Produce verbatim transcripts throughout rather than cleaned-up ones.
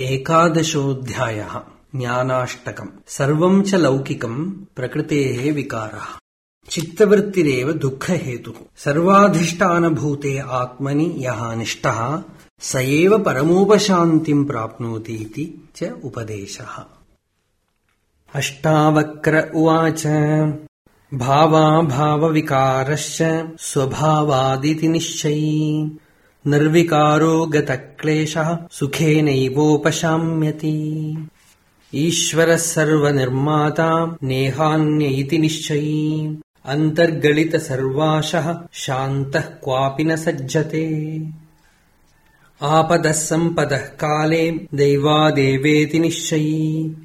एकादशोऽध्यायः ज्ञानाष्टकम्। सर्वं च लौकिकम् प्रकृतेः विकारः। चित्तवृत्तिरेव दुःखहेतुः। सर्वाधिष्ठानभूते आत्मनि यः निष्ठः स एव परमोपशान्तिम् प्राप्नोति इति च उपदेशः। अष्टावक्र उवाच भावाभावविकारश्च स्वभावादिति निश्चयी निर्विकारो गतक्लेशः सुखेनैवोपशाम्यति। ईश्वरः सर्वनिर्माता नेहान्य इति निश्चयी अन्तर्गलित सर्वाशः शान्तः क्वापि न सज्जते। आपदः सम्पदः काले दैवादेवेति निश्चयी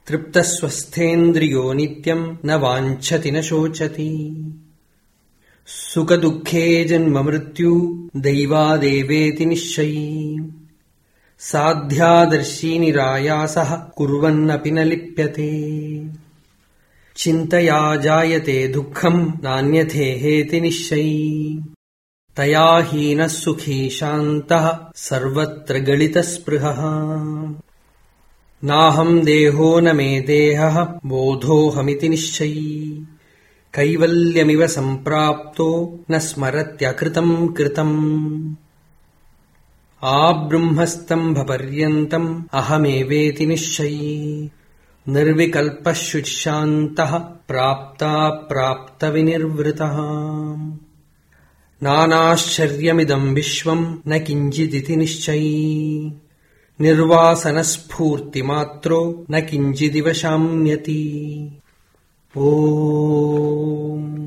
तृप्तः स्वस्थेन्द्रियो नित्यम् न वाञ्छति न शोचति। सुखदुःखे जन्म मृत्यु दैवादेवेति निश्चयी साध्यादर्शी निरायासः कुर्वन्नपि न लिप्यते। चिन्तया जायते दुःखम् नान्यथेहेति निश्चयी तया हीनः सुखी शान्तः सर्वत्र गलितस्पृहः। नाहम् देहो न मे देहः बोधोऽहमिति निश्चयी कैवल्यमिव सम्प्राप्तो न स्मरत्यकृतम् कृतम्। आब्रह्मस्तम्भपर्यन्तम् अहमेवेति निश्चयी निर्विकल्पः शुचिशान्तः प्राप्ताप्राप्तविनिर्वृतः। नानाश्चर्यमिदम् विश्वम् न किञ्चिदिति निश्चयी निर्वासनस्फूर्तिमात्रो न किञ्चिदिव शाम्यति। ओम।